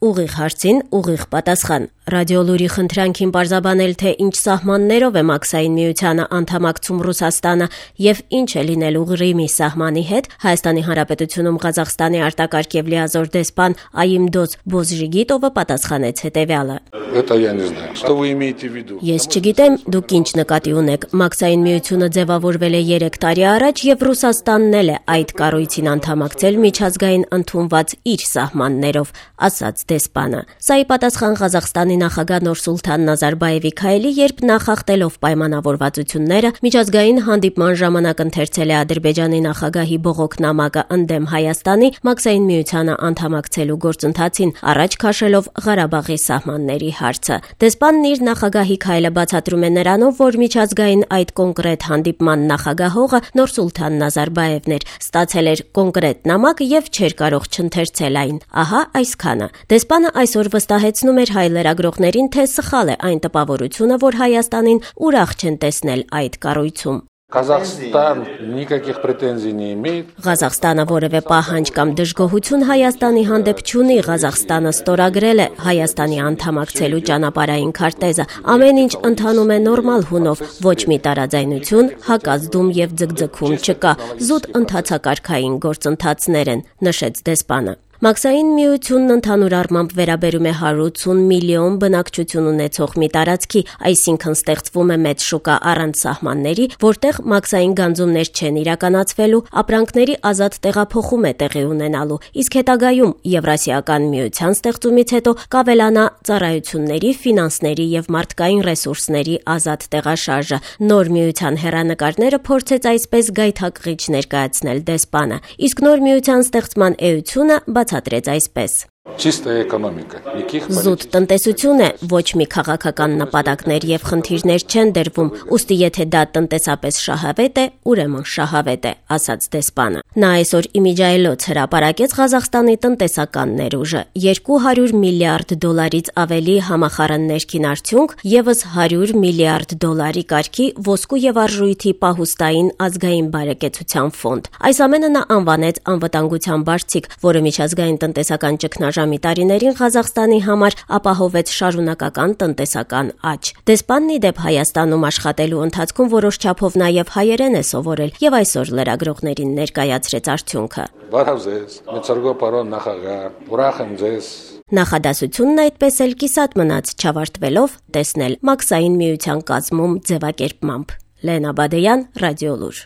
ուղիղ հարցին ուղիղ պատասխան։ Ռադիոլուրի խնդրանքին պարզաբանել, թե ինչ սահմաններով է Մաքսային միությանը անդամակցում Ռուսաստանը եւ ինչ է լինելու Ղրիմի սահմանի հետ, Հայաստանի Հանրապետությունում Ղազախստանի արտակարգ եւ լիազոր դեսպան Այիմդոց Բոզժիգիտովը պատասխանեց հետեւյալը. Ես չգիտեմ, դուք ինչ նկատի ունեք։ Մաքսային միությունը ձևավորվել է 3 տարի առաջ եւ Ռուսաստանն էլ է այդ կառույցին անդամակցել միջազգային ընդունված իր սահմաններով, ասաց դեսպանը։ Սա ի պատասխան Ղազախստանի նախագահ Նուրսուլթան Նազարբաևի քայլի, երբ նախախտելով պայմանավորվածությունները միջազգային հանդիպման ժամանակ ընթերցել է Ադրբեջանի նախագահի բողոք նամակը ընդդեմ Հայաստանի Մաքսային միությանը անդամակցելու գործընթացին, առաջ քաշելով Ղարաբաղի սահմանների հարցը։ Դեսպանն իր նախագահի քայլը բացատրում է նրանով, որ միջազգային այդ կոնկրետ հանդիպման նախագահողը Նուրսուլթան Նազարբաևն էր, ստացել էր կոնկրետ նամակ եւ չէր կարող չընթերցել այն։ Ահա այսքանը։ Դեսպանը այսօր վստահեցնում էր հայ լրագրողներին, թե սխալ է այն տպավորությունը, որ Հայաստանին ուրախ չեն տեսնել այդ կառույցում։ Казахстан никаких претензий не имеет. Ղազախստանը որևէ պահանջ կամ դժգոհություն Հայաստանի հանդեպ չունի։ Ղազախստանը ստորագրել է Հայաստանի անդամակցելու ճանապարհային քարտեզը։ Ամեն ինչ ընթանում է նորմալ հունով, ոչ մի տարաձայնություն, հակազդում եւ ձգձգում չկա։ Զուտ ընթացակարգային գործընթացներ են, նշեց դեսպանը։ Մաքսային միությունն ընդհանուր առմամբ վերաբերում է 180 միլիոն բնակչություն ունեցող մի տարածքի, այսինքն ստեղծվում է մեծ շուկա առանց սահմանների, որտեղ մաքսային գանձումներ չեն իրականացվելու, ապրանքների ազատ տեղափոխում է տեղի ունենալու, իսկ հետագայում Եվրասիական միության ստեղծումից հետո կավելանա ծառայությունների, ֆինանսների եւ մարդկային ռեսուրսների ազատ տեղաշարժը։ Նոր միության հեռանկարները փորձեց այսպես գայթակղիչ ներկայացնել դեսպանը, իսկ նոր միության ստեղծման էությունը բացատրեց այսպես. Чистая экономика. Զուտ տնտեսություն է, ոչ մի քաղաքական նպատակներ եւ խնդիրներ չեն դրվում, ուստի եթե դա տնտեսապես շահավետ է, ուրեմն շահավետ է, ասաց դեսպանը։ Նա այսօր իմիջայլոց հրապարակեց Ղազախստանի տնտեսական ներուժը, 200 միլիարդ դոլարից ավելի համախառն ներքին արդյունք, եւս 100 միլիարդ դոլարի կարգի ոսկու եւ արժույթի պահուստային ազգային բարեկեցության ֆոնդ։ Այս ամենը նա անվանեց անվտանգության բարձիկ, որը միջազգային տնտեսական ճգնաժամի տարիներին Ղազախստանի համար ապահովեց շարունակական տնտեսական աճ։ Դեսպանն ի դեպ Հայաստանում աշխատելու ընթացքում որոշ չափով նաև հայերեն է սովորել եւ այսօր լրագրողներին ներկայացրեց արդյունքը։ Բարև ձեզ, մեծարգո պարոն նախագահ, ուրախ եմ ձեզ։ Նախադասությունն այդպես էլ կիսատ մնաց, չավարտվելով տեսնել Մաքսային միության կազմում ձևակերպմամբ։ Լենա Բադեյան, Ռադիոլուր։